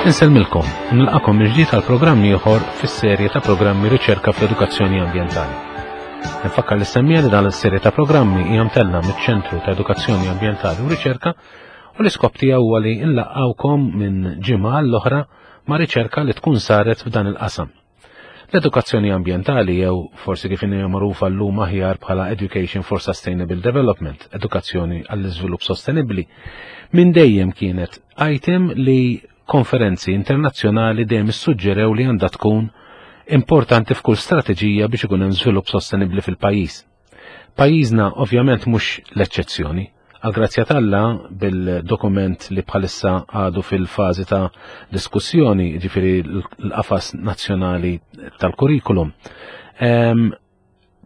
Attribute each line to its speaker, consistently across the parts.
Speaker 1: Insellmilkom u nilqakom mill-ġdid għal programm ieħor fis-serje ta' programmi Riċerka fl-Edukazzjoni Ambjentali. Nfakkar li semmija li dan is-serje ta' programmi hija mtella miċ-Ċentru ta' Edukazzjoni Ambjentali u Riċerka u l-iskop tiegħu huwa li nlaqgħukom minn ġimgħa l-oħra ma' riċerka li tkun saret f'dan il-qasam. L-edukazzjoni ambjentali jew forsi kif inhi magħrufa llum aħjar bħala Education for Sustainable Development, edukazzjoni għall-iżvilupp sostenibbli, minn dejjem kienet item li konferenzi internazzjonali dejjem issuġġerew li għandha tkun importanti f'kull strateġija biex ikun hemm żvilupp sostenibbli fil-pajjiż. Pajjiżna ovvjament mhux l-eċċezzjoni. Għal-grazzja t'Alla bil-dokument li bħalissa għadu fil-fażi ta' diskussjoni, ġifieri l-qafas nazzjonali tal-kurrikulum,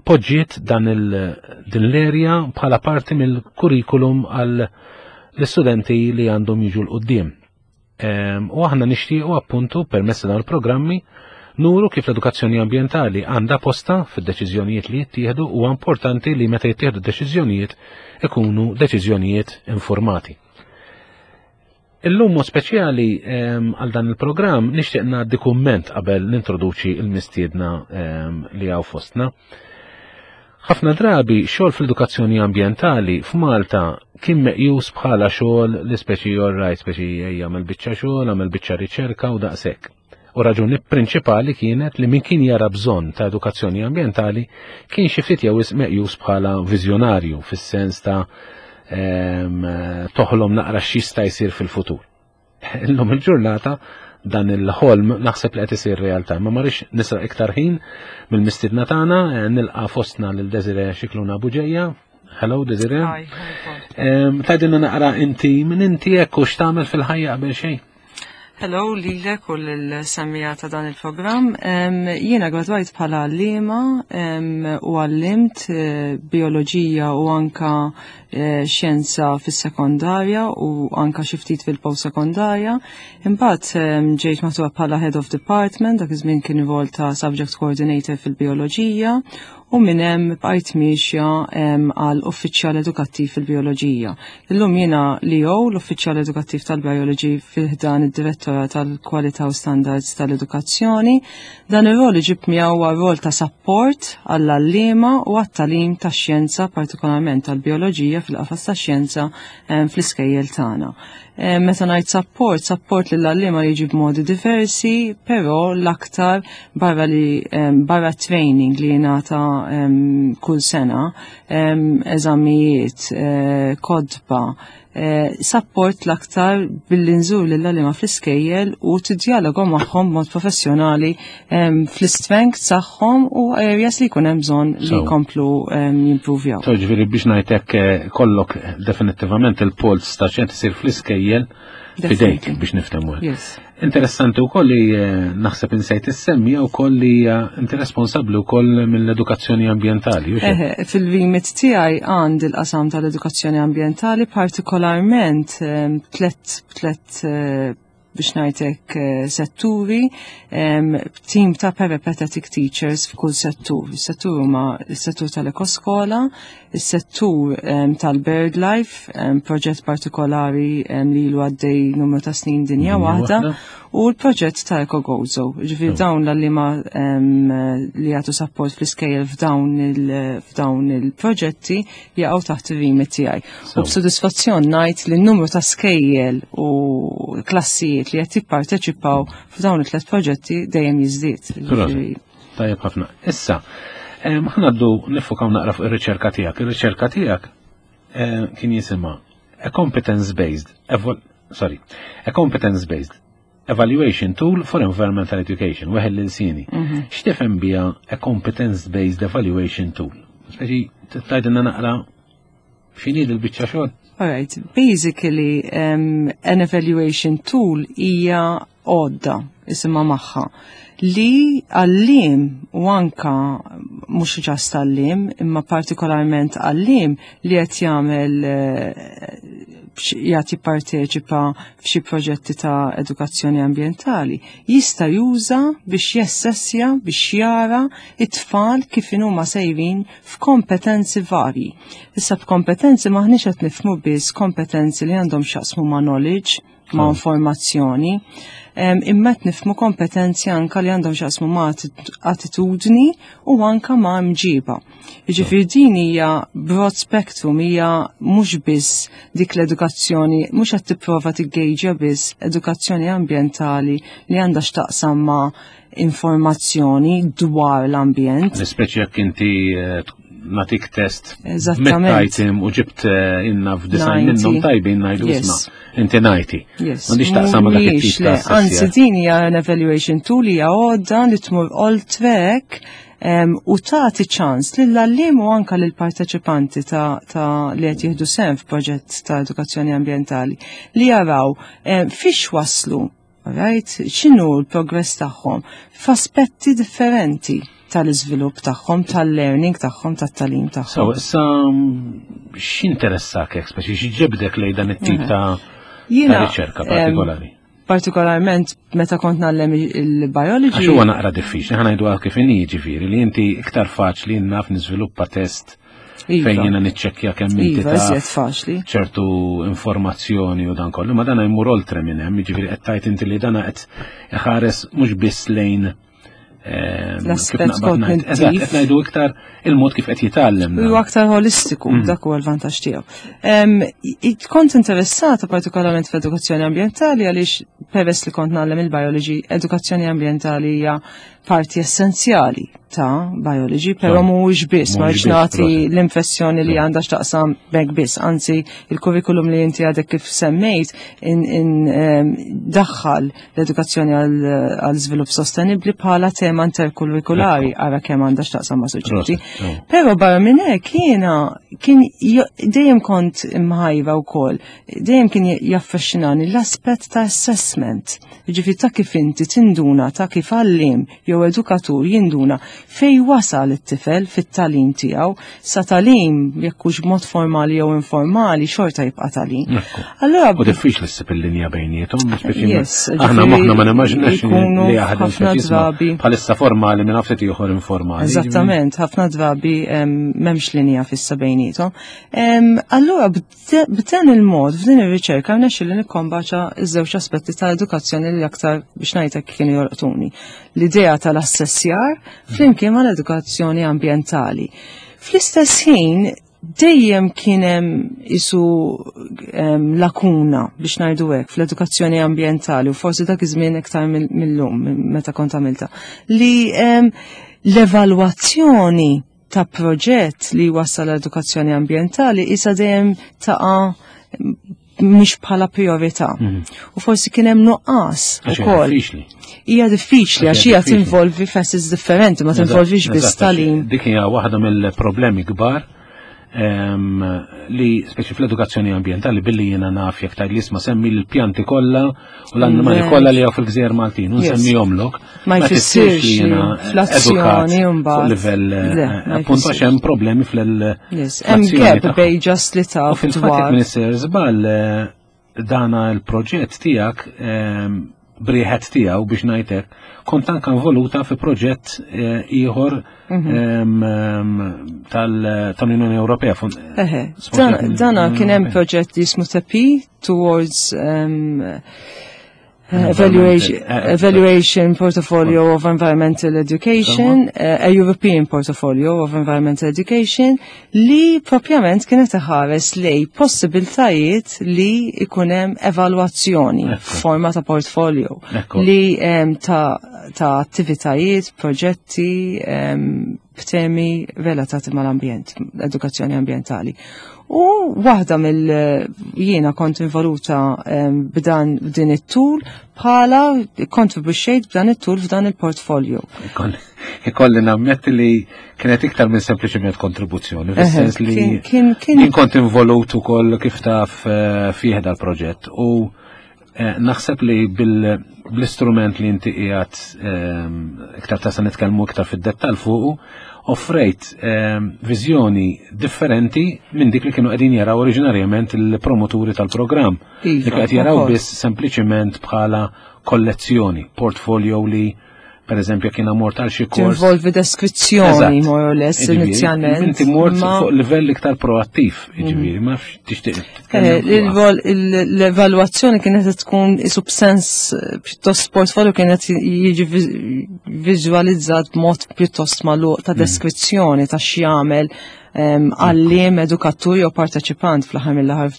Speaker 1: poġġiet dan din l-erja bħala parti mill-kurrikulum għal l-istudenti li għandhom jiġu l-qoddim. U aħna nixtiequ appuntu permezz ta' dawn il-programmi nuru kif l-edukazzjoni ambjentali għandha posta fid-deċiżjonijiet li jittieħdu u importanti li meta jittieħdu deċiżjonijiet ikunu deċiżjonijiet informati. Illum mod speċjali għal dan il-programm nixtieq ngħaddi kumment qabel nintroduċi l-mistiedna li hawn fostna. Ħafna drabi xogħol fl-edukazzjoni ambjentali f'Malta kien meqjus bħala xogħol li speċi all right, speċi jagħmel biċċa xogħol, għamel biċċa riċerka u daqshekk. U raġuni prinċipali kienet li min kien jara bżonn ta' edukazzjoni ambjentali kien xi ftit jew meqjus bħala viżjonarju fis-sens ta' toħlom naqra x'jista' jsir fil-futur. Illum il-ġurnata dan il-ħolm naħseb li qed isir realtà. Ma marix nisraq iktar ħin mill-mistiedna tagħna, eh, nilqa' fostna lil Desire Xikluna Buġeja. Hello Desire. Tgħidilna naqra inti minn inti hekk u x'tagħmel fil-ħajja qabel xejn.
Speaker 2: Hello lilek u l-semmija ta' dan il-programm. Jiena gradwajt bħala għalliema u għallimt eh, bioloġija u anka eh, xjenza fis-sekondarja u anka xi ftit fil-post-sekondarja. Imbagħad ġejt maħtuba bħala Head of Department, dak iż-żmien kien rol ta' Subject Coordinator fil-bioloġija u minn hemm bqajt miexja għal uffiċjal edukattiv fil-bioloġija. Illum jiena li jew l-uffiċjal edukattiv tal-bioloġi fil-ħdan id-Direttora tal-Kwalità u Standards tal-Edukazzjoni. Dan ir-rol iġib miegħu huwa rol ta' support għall-għalliema u għat-tagħlim tax-xjenza, partikolarment tal-bioloġija fil-qafas tax-xjenza fl-iskejjel tagħna. Eh, meta ngħid support, support lil għalliema jiġi b'modi diversi, però l-aktar barra li barra training li jingħata kull sena, eżamijiet, eh, kodba, eh, support l-aktar billi nżur lil għalliema fl-iskejjel u tiddialogu magħhom b'mod professjonali fl-strength tagħhom u areas li jkun hemm bżonn li jkomplu jimpruvjaw.
Speaker 1: So ġifieri biex ngħidlek eh, kollok definittivament il-polz ta' xejn isir fl-iskejjel fidejk biex niftehmu. Interessanti wkoll li eh, naħseb insejt issemmi wkoll li eh, inti responsabbli wkoll mill-edukazzjoni ambjentali.
Speaker 2: Fil-remit tiegħi għand il-qasam tal-edukazzjoni ambjentali partikolarment tlet tlet biex ngħidlek eh, setturi, team ta' peripatetic teachers f'kull settur. Is-settur huma s-settur tal-ekoskola, is-settur tal-bird life, proġett partikolari li ilu għaddej numru ta' snin dinja waħda, u l-proġett ta' EcoGozo. Ġifieri dawn l-għalliema li jagħtu support fl-iskejjel f'dawn il-proġetti jaqgħu taħt ir-remit tiegħi. U b'sodisfazzjon ngħid li n-numru ta' skejjel u klassijiet li qed jipparteċipaw f'dawn it-tlet proġetti dejjem jiżdied.
Speaker 1: Tajjeb ħafna. Issa, ħanaddu nifukaw naqra fuq ir-riċerka tiegħek. Ir-riċerka tiegħek kien jisimha a competence based sorry, a competence based evaluation tool for environmental education, weħel l-insini. Mhm. X'tifhem biha a competence based evaluation tool? Speċi tgħidilna naqra x'inhi l-biċċa xogħol?
Speaker 2: Alright, basically um, an evaluation tool hija għodda isimha magħha li għallim u anka mhux ġast għallim imma partikolarment għallim li qed jagħmel eh, jagħti parteċipa f'xi proġetti ta' edukazzjoni ambjentali, jista' juża biex jessessja biex jara it-tfal kif huma sejrin f'kompetenzi varji. Issa b'kompetenzi maħniex qed nifhmu biss kompetenzi li għandhom x'jaqsmu ma' knowledge, ma' informazzjoni. Imma qed nifhmu kompetenzi anka li għandhom x'jaqsmu ma' attitudni u anka ma' mġiba. Jiġifieri din hija broad spectrum, hija mhux biss dik l-edukazzjoni, mhux qed tipprova tiggejġja biss edukazzjoni ambjentali li għandha x'taqsam ma' informazzjoni dwar l-ambjent.
Speaker 1: Speċi jekk inti natik test Eżattament. u ġibt inna f'design minnhom tajbin ngħidu isma' inti ngħidti. M'għandix taqsam ma dak it-tip ta'
Speaker 2: Anzi din hija an evaluation tool, hija għodda li tmur oltre hekk u tagħti ċans lill-għalliem u anka lill-parteċipanti ta' li qed jieħdu sehem f'proġett ta' edukazzjoni ambjentali li jaraw fiex waslu, right? X'inhu l-progress tagħhom f'aspetti differenti tal-iżvilupp tagħhom, tal-learning tagħhom, tat-tagħlim tagħhom.
Speaker 1: So, issa x'interessak hekk, speċi x'ġibdek lejn dan it-tip ta' riċerka partikolari?
Speaker 2: Partikolarment meta kont ngħallem il-biology.
Speaker 1: Għax huwa naqra diffiċli, ħa ngħidu kif inhi, ġifieri li inti iktar faċli naf niżviluppa test fejn jiena niċċekkja kemm inti
Speaker 2: Iva, iżjed faċli.
Speaker 1: ċertu informazzjoni u dan kollu, ma dana jmur oltre minn hemm, jiġifieri qed tgħid inti li dana qed iħares mhux biss lejn
Speaker 2: l-aspett kognittiv.
Speaker 1: Eżatt, qed ngħidu iktar il-mod kif qed jitgħallem.
Speaker 2: Huwa aktar holistiku, dak huwa l-vantaġġ tiegħu. Kont interessata partikolarment fl-edukazzjoni ambjentali għaliex peress li kont ngħallem il-biology, edukazzjoni ambjentali hija parti essenzjali ta' biology, però mhuwiex biss, ma rridx nagħti l-impressjoni li għandha x'taqsam hekk biss, anzi il-kurrikulum li inti għadek kif semmejt daħħal l-edukazzjoni għal żvilupp sostenibbli bħala tema interkurrikulari, ara kemm għandha x'taqsam ma' suġġetti. Però barra minn hekk jiena kien dejjem kont imħajra wkoll, dejjem kien jaffaxxinani l-aspett ta' assessment. Jiġifieri ta' kif inti tinduna, ta' kif għalliem jew edukatur jinduna fej wasal it-tifel fit-tagħlim tiegħu, sa tagħlim jekk hux b'mod formali jew informali xorta jibqa' tagħlim.
Speaker 1: Allura u diffiċli ssib il-linja bejniethom, speċi aħna moħħna ma nimmaġinax li jaħdem
Speaker 2: ħafna drabi
Speaker 1: bħalissa formali minn ftit ieħor informali.
Speaker 2: Eżattament, ħafna drabi m'hemmx linja fissa bejniethom. Allura b'dan il-mod, f'din ir-riċerka rnexxieli nikkombaċa ż-żewġ aspetti ta' edukazzjoni li aktar biex ngħidlek kienu jolqtuni. L-idea tal-assessjar flimkien mal-edukazzjoni ambjentali. Fl-istess ħin dejjem kien hemm isu lakuna biex ngħidu hekk fl-edukazzjoni ambjentali u forsi dak iż-żmien iktar mill-lum meta kont għamilta li l-evalwazzjoni ta' proġett li wassal l-edukazzjoni ambjentali isa dejjem taqa' mhix bħala priorità. U forsi kien hemm nuqqas ukoll. Hija diffiċli għax hija tinvolvi facets differenti, ma tinvolvix biss tagħlim.
Speaker 1: Dik hija waħda mill-problemi kbar li speċi fl-edukazzjoni ambjentali billi jiena naf jekk tgħid li isma' semmi l-pjanti kollha u l-annimali kollha li hawn fil-Gżejjer Maltin u nsemmihomlok.
Speaker 2: Ma jfissirx li jiena fl-azzjoni
Speaker 1: mbagħad. Livell appunt għax hemm problemi fl-
Speaker 2: Hemm gap bej just li taf.
Speaker 1: U fil-fatt minister żball dana l-proġett tiegħek briħet tiegħu biex ngħidlek kont anka involuta fi proġett ieħor tal-Unjoni Ewropea.
Speaker 2: Eħe, dana kien hemm proġett li jismu TEPI towards evaluation portfolio of environmental education, a European portfolio of environmental education, li propjament kienet iħares lej possibiltajiet li ikunem evalwazzjoni f'forma ta' portfolio li ta' attivitajiet, proġetti, b'temi relatati mal-ambjent, edukazzjoni ambjentali. U waħda mill jiena kont involuta b'dan b'din it-tool bħala kontribuxxejt b'dan it-tool f'dan il-portfolio.
Speaker 1: Ikolli nammetti li kienet iktar minn sempliċement kontribuzzjoni, fis-sens li jien kont involut ukoll kif taf fih dal-proġett u naħseb li bl-istrument li inti qiegħed iktar ta' se nitkellmu iktar fid-dettall fuqu, offrejt viżjoni differenti minn dik li kienu qegħdin jaraw oriġinarjament il-promoturi tal-programm. Li qed jaraw biss sempliċement bħala kollezzjoni, portfolio li Per eżempju, kien mort għal xi kors.
Speaker 2: Tinvolvi deskrizzjoni, more or less, inizjalment.
Speaker 1: Inti mort fuq livell iktar proattiv, jiġifieri, ma nafx tixtieq.
Speaker 2: Eh, l-evalwazzjoni kienet tkun isu b'sens eh, pjuttost portfolio kienet jiġi viżwalizzat b'mod pjuttost magħluq ta' mhm. deskrizzjoni ta' x'jagħmel għalliem, edukatur jew parteċipant fl-aħħar mill-aħħar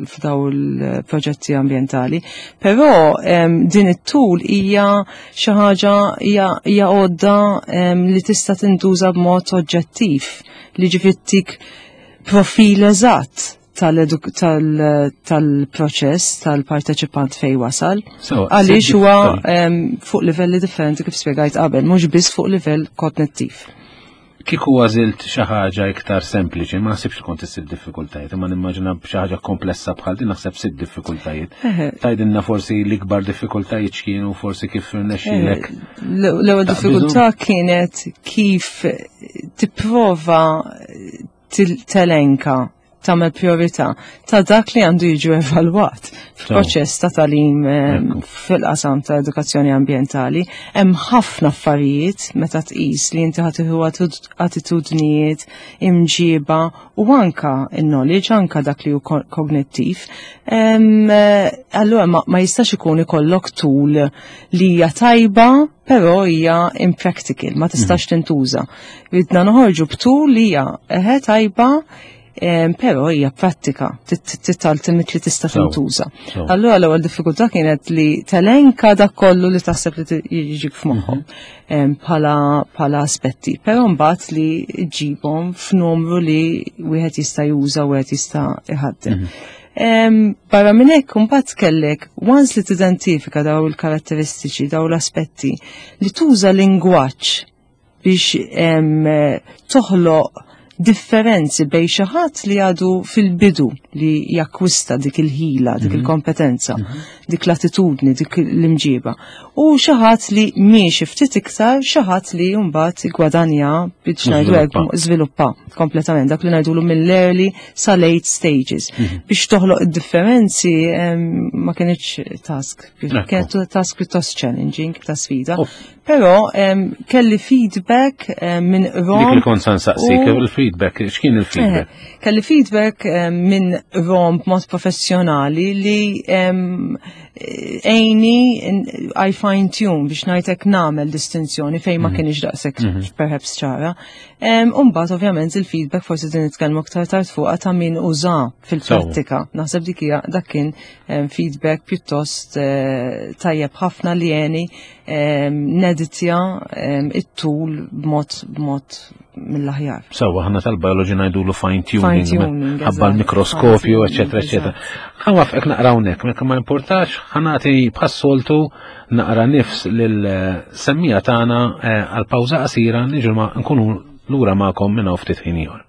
Speaker 2: f'daw il-proġetti ambjentali. Però din it-tul hija xi ħaġa hija għodda li tista' tintuża b'mod oġġettiv li ġifittik profil eżatt tal-proċess tal-parteċipant fej wasal. Għaliex huwa fuq livelli differenti kif spjegajt qabel, mhux biss fuq livell kognittiv.
Speaker 1: Kieku għażilt xi ħaġa iktar sempliċi, ma naħsibx li kont issib diffikultajiet, imma nimmaġina b'xi ħaġa komplessa bħal din naħseb sibt diffikultajiet. Tgħidilna forsi l-ikbar diffikultajiet x'kienu, forsi kif rnexxielek.
Speaker 2: L-ewwel diffikultà kienet kif tipprova telenka tagħmel priorità ta' dak li għandu jiġu evalwat f'proċess ta' tagħlim ehm, fil-qasam ta' edukazzjoni ambjentali. Hemm ħafna affarijiet meta tqis li inti ħatiħu attitudnijiet, imġiba u anka il-knowledge, anka dak li hu kognittiv. Ehm, eh, allura ma jistax ikun ikollok tul li hija tajba però hija impractical, ma tistax mhm. tintuża. Ridna noħorġu b'tul li hija eħe tajba però hija prattika, titaltimit li tista' tintuża. Allura l-ewwel diffikultà kienet li telenka dak kollu li taħseb li jiġik f'moħħok mhm. bħala aspetti, però mbagħad li ġibhom f'numru li wieħed jista' juża u wieħed jista' iħaddem. Mhm. Barra minn hekk imbagħad kellek once li tidentifika daw il-karatteristiċi, daw l-aspetti, li tuża lingwaġġ biex toħloq differenzi bej xi ħadd li għadu fil-bidu li jakkwista dik il-ħila, dik mhm. il-kompetenza, mhm. dik l-attitudni, dik l-imġiba. U xi ħadd li miexi ftit iktar, xi ħadd li mbagħad gwadanja biex ngħidu hekk żviluppa kompletament dak li ngħidulu mill-early sa late stages. Mhm. Biex toħloq id-differenzi ma kienx task, kienet task pjuttost challenging, ta' sfida. Però kelli feedback minn Rom.
Speaker 1: Dik li kont san saqsik, il-feedback, x'kien il-feedback?
Speaker 2: Eh, kelli feedback minn Rom b'mod professjonali li għejni I fine tune biex ngħidlek nagħmel distinzjoni fejn ma mhm. kienx daqshekk mhm. perhaps ċara. Umbagħad ovvjament il-feedback forsi din nitkellmu aktar tard fuqha ta' min uża fil-prattika. Naħseb dik hija dak kien feedback pjuttost eh, tajjeb ħafna li għeni neditja it-tul b'mod b'mod mill-aħjar.
Speaker 1: Sawa, ħana tal-biology ngħidulu fine tuning, ħabba l-mikroskopju, eċetera, eċetera. Ħawafqek naqra hawnhekk, mekk ma importax, ħanati bħas-soltu naqra nifs lil eh, semmija tagħna eh, għal pawża qasira niġu ma nkunu lura magħkom minn hawn ftit ħin ieħor.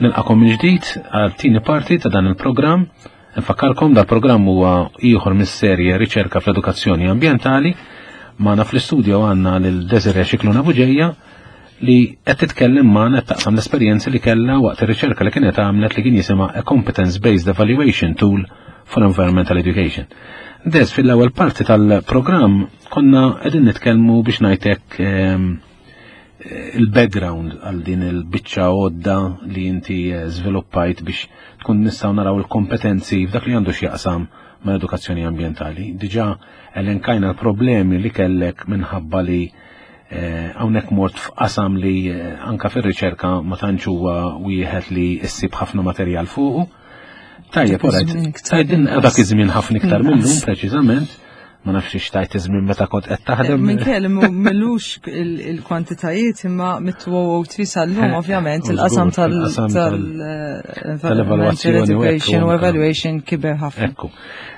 Speaker 1: Nilqakom mill-ġdid għal tieni parti ta' dan il-programm. Nfakkarkom dal-programm huwa ieħor mis-serje Riċerka fl-Edukazzjoni Ambjentali. Magħna fl-istudio għandna lil Desiree Xikluna Buġeja li qed titkellem magħna qed taqsam l-esperjenzi li kellha waqt ir-riċerka li kienet għamlet li kien jisimha A Competence Based Evaluation Tool for Environmental Education. Des fil-ewwel parti tal-programm konna qegħdin nitkellmu biex ngħidlek ehm, il-background għal din il-biċċa għodda li inti eh, żviluppajt biex tkun nistgħu naraw il-kompetenzi f'dak li għandu x'jaqsam ma' edukazzjoni ambjentali. Diġà elenkajna l-problemi li kellek minħabba li eh, hawnhekk mort f'qasam li eh, anka fir-riċerka ma tantx huwa wieħed li issib ħafna materjal fuqu. Tajjeb, dak iż-żmien ħafna iktar minnhom preċiżament. Ma nafx xtajt iż-żmien meta kont qed taħdem.
Speaker 2: Minn kelli millux il-kwantitajiet imma mit-2003 sal-lum ovvjament il-qasam tal-evaluazzjoni education u evaluation kiber ħafna.
Speaker 1: Ekku.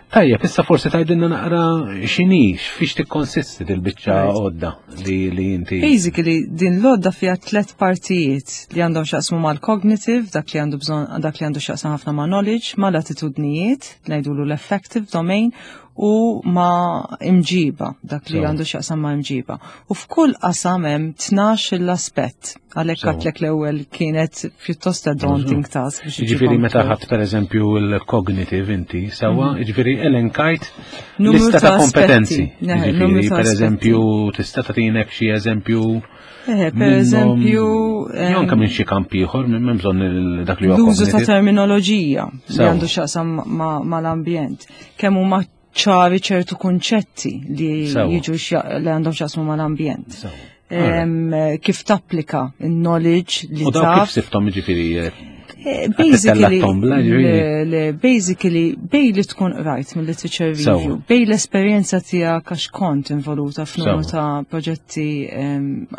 Speaker 1: Tajjeb, issa forsi tgħidilna naqra x'inhi, fiex tikkonsisti dil-biċċa għodda li li inti.
Speaker 2: Basically, din l-għodda fiha tliet partijiet li għandhom x'jaqsmu mal-cognitive, dak li għandu bżonn dak li għandu x'jaqsam ħafna ma' knowledge, mal-attitudnijiet, ngħidulu l-affective domain, u ma' imġiba, dak li għandu x'jaqsam ma' imġiba. U f'kull qasam hemm 12 l-aspett. Għalhekk għatlek l-ewwel kienet pjuttost a daunting task.
Speaker 1: Jiġifieri meta ħadd pereżempju l-cognitive inti sewwa, mhm. jiġifieri elenkajt lista ta' kompetenzi. Jiġifieri pereżempju tista' tagħtinek xi eżempju
Speaker 2: Eh, per eżempju.
Speaker 1: Jew anke minn xi kamp ieħor minn bżonn dak li
Speaker 2: huwa. L-użu ta' terminoloġija li għandu x'jaqsam mal-ambjent. Kemm huma ċari ċertu kunċetti li jiġu li għandhom x'jaqsmu mal-ambjent. Kif tapplika il-knowledge li
Speaker 1: U daw kif siftom ġifieri eh,
Speaker 2: eh, Basically, basically, bej li tkun rajt mill-literature review, bej l-esperienza tijak għax kont involuta f'numru ta' proġetti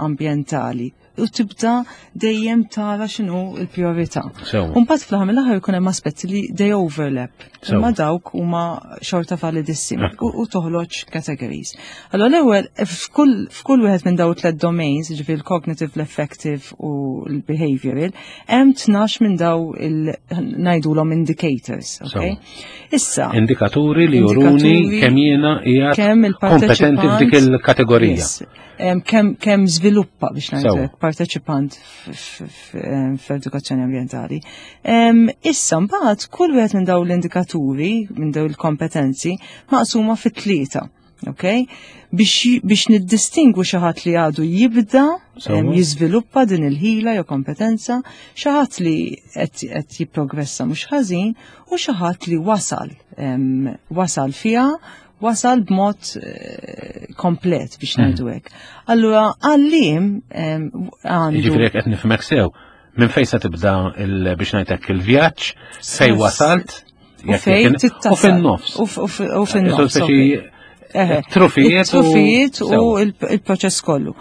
Speaker 2: ambientali u tibda dejjem tara x'inhu l-priorità. U mbagħad fl-aħħar mill-aħħar ikun hemm aspetti li they overlap. Imma dawk huma xorta validissimi u toħloġ categories. Allora l-ewwel f'kull wieħed minn dawn tliet domains, ġifieri l-cognitive, l-affective u l-behavioral, hemm 12 minn daw il ngħidulhom indicators, okay?
Speaker 1: Issa. Indikaturi li juruni kemm jiena qiegħed kompetenti f'dik il-kategorija.
Speaker 2: Kemm kemm żviluppa biex ngħidlek parteċipant f'edukazzjoni ambjentali. Issa mbagħad kull wieħed minn dawn l-indikaturi, minn dawn il-kompetenzi, maqsuma fi tlieta. Okay? Biex, biex niddistingwu xi ħadd li għadu jibda jiżviluppa din il-ħila jew kompetenza, xi ħadd li qed jipprogressa mhux ħażin u xi ħadd li wasal wasal fiha wasal b'mod eh, komplet biex mhm. ngħidu hekk. Allura għallim
Speaker 1: għandu. Jiġifieri qed nifhmek sew, minn fejn se tibda biex ngħidlek il-vjaġġ, fej wasalt,
Speaker 2: u fejn
Speaker 1: u fin-nofs.
Speaker 2: U fin-nofs.
Speaker 1: Trufijiet.
Speaker 2: Trufijiet u il-proċess kollu.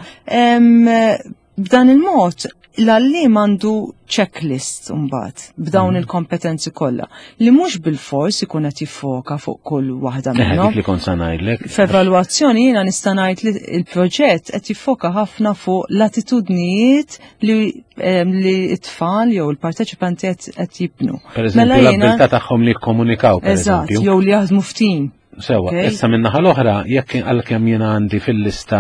Speaker 2: B'dan il-mod, l-għalliem għandu checklist mbagħad b'dawn mm. il-kompetenzi kollha li mhux bil-fors ikun qed jiffoka fuq kull waħda minnhom.
Speaker 1: Dik li kont se ngħidlek.
Speaker 2: F'evalwazzjoni jiena nista' ngħid li l-proġett qed jiffoka ħafna fuq l-attitudnijiet li li t-tfal jew il-parteċipanti qed jibnu.
Speaker 1: Per eżempju, mela l-abilità tagħhom li jikkomunikaw, per eżempju.
Speaker 2: Jew li jaħdmu f'tim.
Speaker 1: Sewa, issa minn naħa l-oħra, jekk għalkemm jiena għandi fil-lista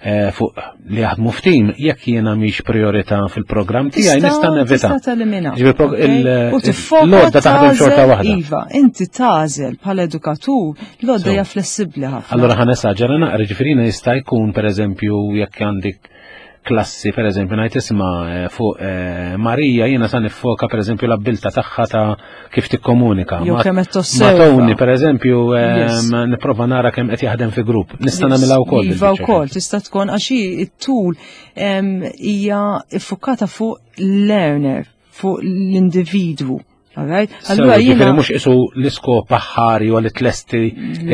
Speaker 1: eh, fuq li jaħdmu f'tim, jekk jiena mhix priorità fil-programm tiegħi nista' nevita.
Speaker 2: Tista' telimina.
Speaker 1: L-għodda taħdem xorta waħda.
Speaker 2: Iva, inti tażel bħala edukatur, l-għodda hija flessibbli ħafna.
Speaker 1: Allura ħa nesaġera naqra, ġifieri jista' jkun pereżempju jekk għandik klassi, per eżempju, ngħid isma' eh, fuq eh, Marija jiena sa nifoka per eżempju l-abbilta tagħha ta' kif tikkomunika.
Speaker 2: Jew kemm qed tosserva.
Speaker 1: Ma Tony, per eżempju, eh, nipprova nara kemm qed jaħdem fi grupp. Nista' nagħmilha wkoll.
Speaker 2: Iva wkoll, tista' tkun għax it-tul hija iffukata fuq learner, fuq l-individwu.
Speaker 1: Alright? Allura jiena mhux isu l-iskop aħħari u li tlesti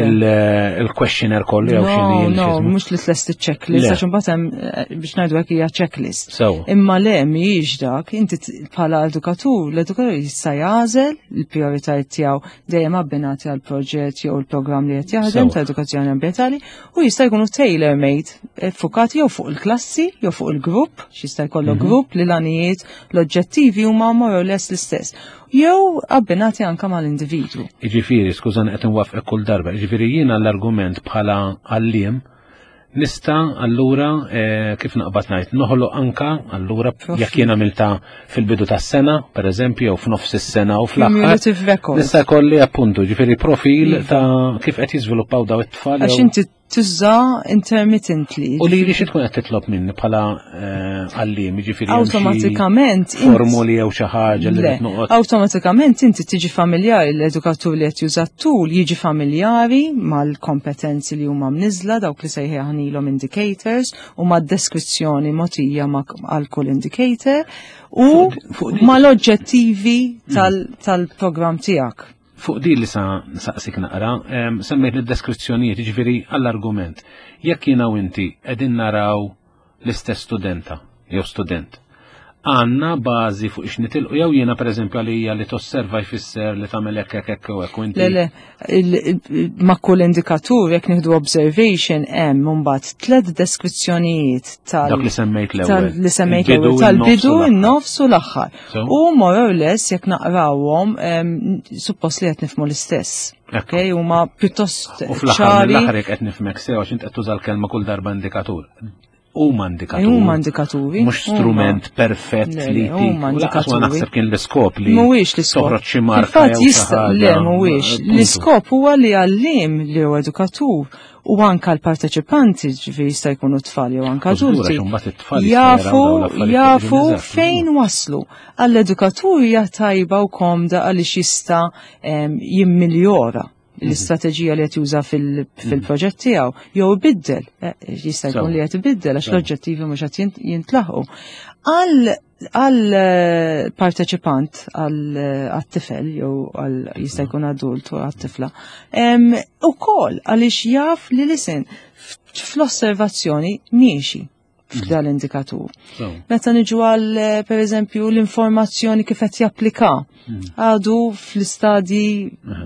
Speaker 1: il-questionnaire kollu jew
Speaker 2: x'inhi. No, mhux li tlesti checklist għax imbagħad hemm eh, biex ngħidu hekk hija checklist. Imma le mhijiex dak, inti bħala edukatur, l-edukatur jista' jagħżel il-prijoritajiet tiegħu dejjem abbinati għal proġett jew il-programm li qed jaħdem ta' edukazzjoni ambjentali u jista' jkunu tailor made eh, fukati jew fuq il-klassi jew fuq il-grupp, x'jista' jkollok mhm. grupp li l-għanijiet L-oġġettivi huma more or less l-istess. Jew abbinati anka mal-individwu.
Speaker 1: Jiġifieri, skużani qed inwaffqek kull darba, jiġifieri jiena l-argument bħala għalliem nista allura eh, kif naqbad ngħid noħloq anka allura jekk jien għamilta fil-bidu tas-sena, pereżempju, jew f'nofs is-sena u
Speaker 2: fl-aħħar.
Speaker 1: Nista' jkolli appuntu, ġifieri profil iva. ta' kif qed jiżviluppaw daw it-tfal.
Speaker 2: Għax inti tuża intermittently.
Speaker 1: U li li xi tkun qed titlob minni bħala eh, għalliem, jiġifieri
Speaker 2: awtomatikament
Speaker 1: formuli jew xi ħaġa li qed
Speaker 2: noqgħod. Awtomatikament inti tiġi familjari l-edukatur li qed juża tul jiġi familjari mal-kompetenzi li huma mniżla dawk li sejħilhom indicators u mad-deskrizzjoni mogħtija għal kull indicator u mal-oġġettivi tal-programm tiegħek.
Speaker 1: Fuq din li sa nsaqsik naqra, semmejt id-deskrizzjonijiet, jiġifieri għall-argument. Jekk jiena u inti qegħdin naraw l-istess studenta jew student, għandna bażi fuq ix nitilqu jew jiena pereżempju għalija li tosserva jfisser li tagħmel hekk hekk hekk u hekk u inti.
Speaker 2: Le, le, ma' kull indikatur jekk nieħdu observation hemm imbagħad tliet deskrizzjonijiet tal
Speaker 1: Dak li semmejt l-ewwel.
Speaker 2: Li semmejt l-ewwel tal-bidu, in-nofs u l-aħħar. U more or less jekk naqrawhom suppost li qed nifhmu l-istess. Ok, huma pjuttost
Speaker 1: U fl-aħħar mill-aħħar jekk qed nifhmek sew għax int qed tuża l-kelma kull darba indikatur. Huma indikaturi.
Speaker 2: Huma indikaturi.
Speaker 1: Mhux strument perfett li
Speaker 2: huma indikaturi.
Speaker 1: Naħseb kien l-iskop li
Speaker 2: mhuwiex l-iskop.
Speaker 1: Toħroġ xi marka.
Speaker 2: Jista' le mhuwiex. L-iskop huwa li għalliem li huwa edukatur u anka l-parteċipanti ġifieri jista' jkunu tfal jew anka adulti. Jafu jafu fejn waslu. Għall-edukatur hija tajba u komda għaliex jista' jimmiljora l-istrateġija li qed juża fil-proġett tiegħu jew ibiddel, eh, jista' jkun li qed ibiddel għax l-oġġettivi mhux qed jintlaħqu. Għal għal eh, parteċipant għal eh, tifel jew għal jista' jkun adult u għal tifla. Ukoll għaliex jaf li listen fl-osservazzjoni miexi f'dal indikatur. Meta niġu għal eh, per eżempju l-informazzjoni kif qed japplika mhm. għadu fl-istadji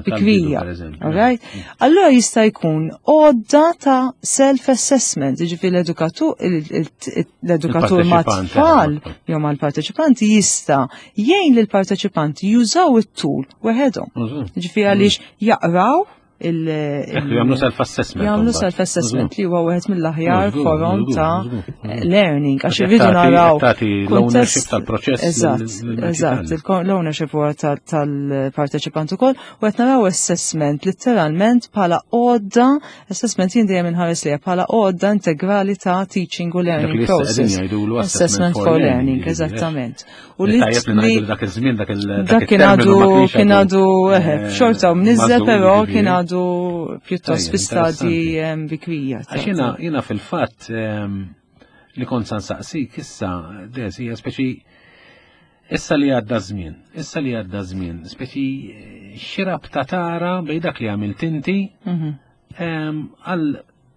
Speaker 2: bikrija. Alright? Mhm. Allura jista' jkun għodda ta' self-assessment, jiġifieri l-edukatur l-edukatur ma' tfal jew mal-parteċipanti jista' jgħin lill-parteċipanti jużaw it-tul weħedhom. Jiġifieri għaliex jaqraw
Speaker 1: il- Jagħmlu self-assessment.
Speaker 2: Jagħmlu self-assessment li huwa wieħed mill-aħjar forom ta' learning għax irridu naraw.
Speaker 1: L-ownership tal-proċess.
Speaker 2: Eżatt, eżatt, l-ownership huwa tal-parteċipant ukoll u qed naraw assessment litteralment bħala għodda Assessment jien dejjem inħares liha bħala għodda integrali ta' teaching u learning process.
Speaker 1: Assessment for learning,
Speaker 2: eżattament.
Speaker 1: U li tajjeb li ngħidu dak iż-żmien dak il
Speaker 2: dak kien għadu kien għadu eh, eh, xorta u mniżżel però kien għadu pjuttost fi stadji ehm, bikrija.
Speaker 1: Għax jiena fil-fatt ehm, li kont san saqsik issa des hija speċi Issa li għadda żmien, issa li għadda żmien, speċi xi rabta tara bej dak li għamilt inti mhm. ehm, għal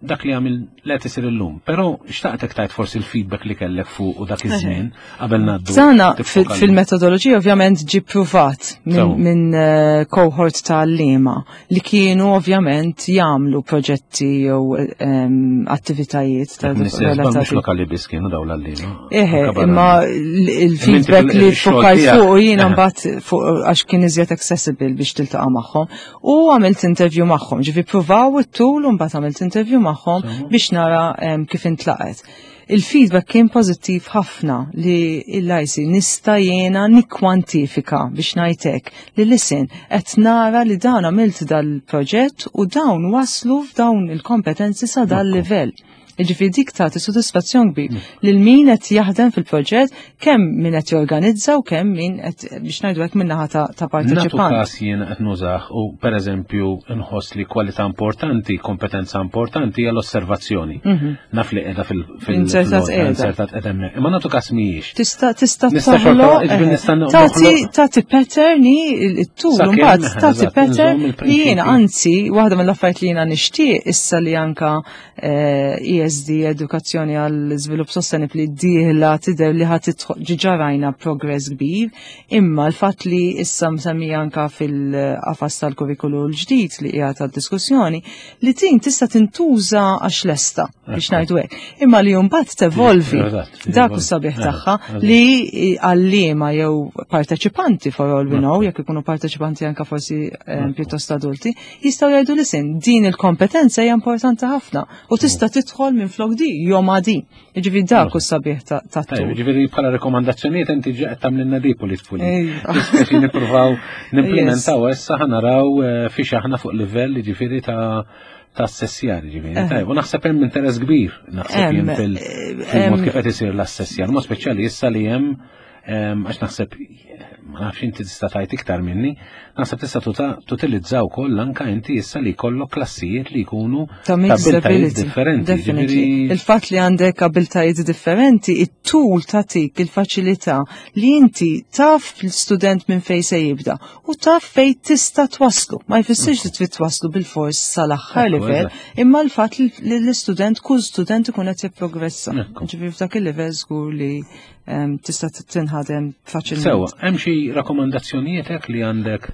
Speaker 1: dak li għamil li qed isir illum. Però xtaqtek tajt forsi l-feedback li kellek fuq u dak iż-żmien qabel ngħaddu.
Speaker 2: Sana fil-metodoloġija ovvjament ġi pruvat minn eh, cohort ta' għalliema li kienu ovvjament jagħmlu proġetti jew ehm, attivitajiet
Speaker 1: ta' relatati. Mhux lokali biss kienu dawn l-għalliema.
Speaker 2: Eħe, imma il-feedback li fukajt fuq jiena mbagħad fuq għax kien iżjed accessible biex tiltaqa' magħhom. U għamilt interview magħhom, ġifi pruvaw it-tul u mbagħad għamilt interview magħhom biex nara ehm, kif intlaqet. Il-feedback kien pożittiv ħafna li l-IC nista' jiena nikkwantifika biex ngħid hekk li listen qed nara li dan għamilt dal-proġett u dawn waslu f'dawn il-kompetenzi sa dal-livell. Jiġifieri dik tagħti sodisfazzjon kbir mm. lil min qed jaħdem fil-proġett, kemm min qed jorganizza u kemm min qed biex ngħidu hekk min-naħa ta' parteċipant.
Speaker 1: Nagħtu każ jien qed nużah u pereżempju nħoss li kwalità importanti, kompetenza importanti hija l-osservazzjoni. Mhm. Naf li qiegħda
Speaker 2: fil-insertat
Speaker 1: qiegħda qiegħda hemmhekk. Imma nagħtu każ mhijiex.
Speaker 2: Tista' tista' tagħti tagħti pattern it-tul mbagħad tagħti pattern li jiena anzi waħda mill-affarijiet li jiena nixtieq issa li anka ESD, eh, e Edukazzjoni għal Żvilupp Sostenibbli dieħla tidher li ħadd ġiġa rajna progress kbir, imma l-fatt li issa msemmija anka fil-qafas tal-kurrikulu l-ġdid li hija tad-diskussjoni li tin tista' tintuża għax lesta biex ngħidu hekk. Imma li mbagħad tevolvi dak u sabiħ tagħha li għalliema jew parteċipanti for all we know, jekk ikunu parteċipanti anka forsi eh, pjuttost adulti, jistgħu jgħidu li sin din il-kompetenza hija importanti ħafna u tista' tidħol minn flok di jew ma' di. Jiġifieri dak u sabiħ ta'
Speaker 1: tul. Jiġifieri bħala rekomandazzjonijiet inti qed tagħmlilna di pulit pulit. Speċi nippruvaw nimplementaw issa ħanaraw eh, fiex aħna fuq livell jiġifieri ta' ta' assessjar, ġifieri. Eh. Tajb, u naħseb hemm interess kbir, naħseb jien fil-mod eh, kif qed isir l-assessjar, ma speċjali issa li hemm Għax naħseb, ma nafx inti tista' tgħid iktar minni, naħseb tista' tutilizza wkoll anka inti issa li jkollok klassijiet li jkunu
Speaker 2: ta' abiltajiet
Speaker 1: differenti.
Speaker 2: Il-fatt li għandek abiltajiet differenti, it-tul tagħtik il-faċilità li inti taf l-student minn fejn se jibda u taf fejn tista' twaslu. Ma jfissirx li trid twaslu bil-fors sal-aħħar livell, imma l-fatt li l-istudent kull student ikun qed jipprogressa. Ġifieri f'dak il-livell żgur li tista' tinħadem faċilment.
Speaker 1: Sewa, hemm xi rakkomandazzjonijiet hekk li għandek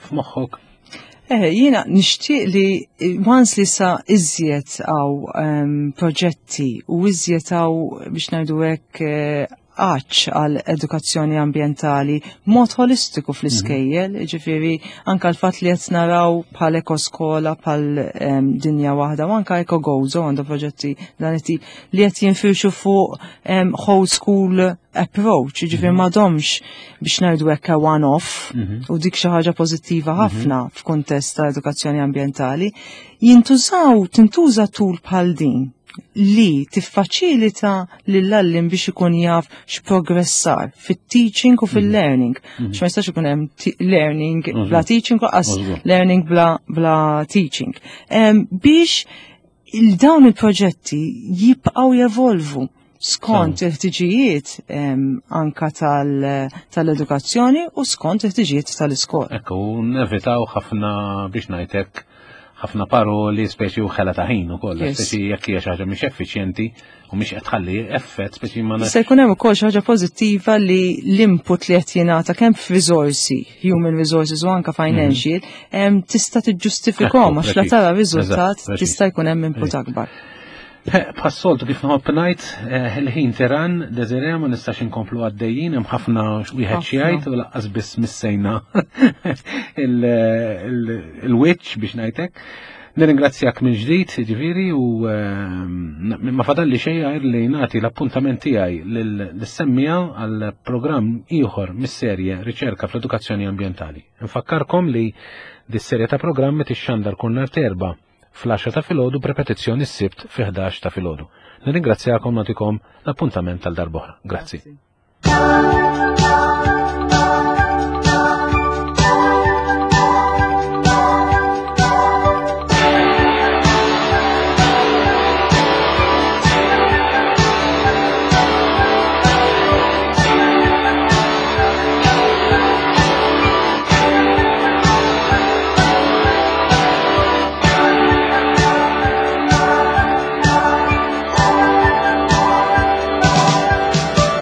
Speaker 1: f'moħħok?
Speaker 2: Eh, jiena nixtieq li once li sa iżjed għaw proġetti u iżjed għaw biex ngħidu hekk eh, għatx għal edukazzjoni ambjentali mod holistiku fl-iskejjel, mhm. ġifiri anka l-fatt li qed naraw bħal ekoskola bħal dinja waħda u anka ekogozo għandu proġetti dan it-tip li qed jinfirxu fuq whole school approach, ġifieri mhm. m'għadhomx biex ngħidu hekk one off mhm. u dik xi ħaġa pożittiva mhm. ħafna f'kuntest ta' edukazzjoni ambjentali, jintużaw tintuża tul bħal din li tiffaċilita lill-għallim biex ikun jaf x'progressar fit-teaching u fil-learning. X'ma jistax ikun hemm learning bla teaching u qas learning bla, bla teaching. Biex il-dawn il-proġetti jibqgħu jevolvu skont il-ħtiġijiet anka tal-edukazzjoni u skont il-ħtiġijiet tal-iskola.
Speaker 1: Ekku, nevitaw ħafna biex ngħidlek ħafna paroli speċi u ħela ta' ħin ukoll, speċi jekk hija xi ħaġa mhix effiċjenti u mhix qed tħalli effett speċi ma
Speaker 2: Se jkun hemm ukoll xi ħaġa pożittiva li l-input li qed jingħata kemm f'riżorsi, human resources u anka financial, mhm. tista' tiġġustifikhom għax la tara riżultat tista' jkun hemm input akbar.
Speaker 1: Bħas-soltu kif nħobb ngħid, eh, il-ħin tiran, Desiree, ma nistax inkomplu għaddejjin, hemm ħafna wieħed xi jgħid u laqqas biss missejna il-wiċċ biex ngħidlek. Nirringrazzjak minn ġdid, ġifieri, u ehm, ma fadalli xejn għajr li nagħti l-appuntament tiegħi lis-semmija għal programm ieħor mis-serje Riċerka fl-Edukazzjoni Ambjentali. Nfakkarkom li dis-serje ta' programmi tixxandar kull nhar terba' fl-10 ta' filgħodu b'repetizzjoni s-Sibt fi 11 ta' filgħodu. Nirringrazzjakom nagħtikom l-appuntament tal darb'oħra. Grazzi. Grazzi.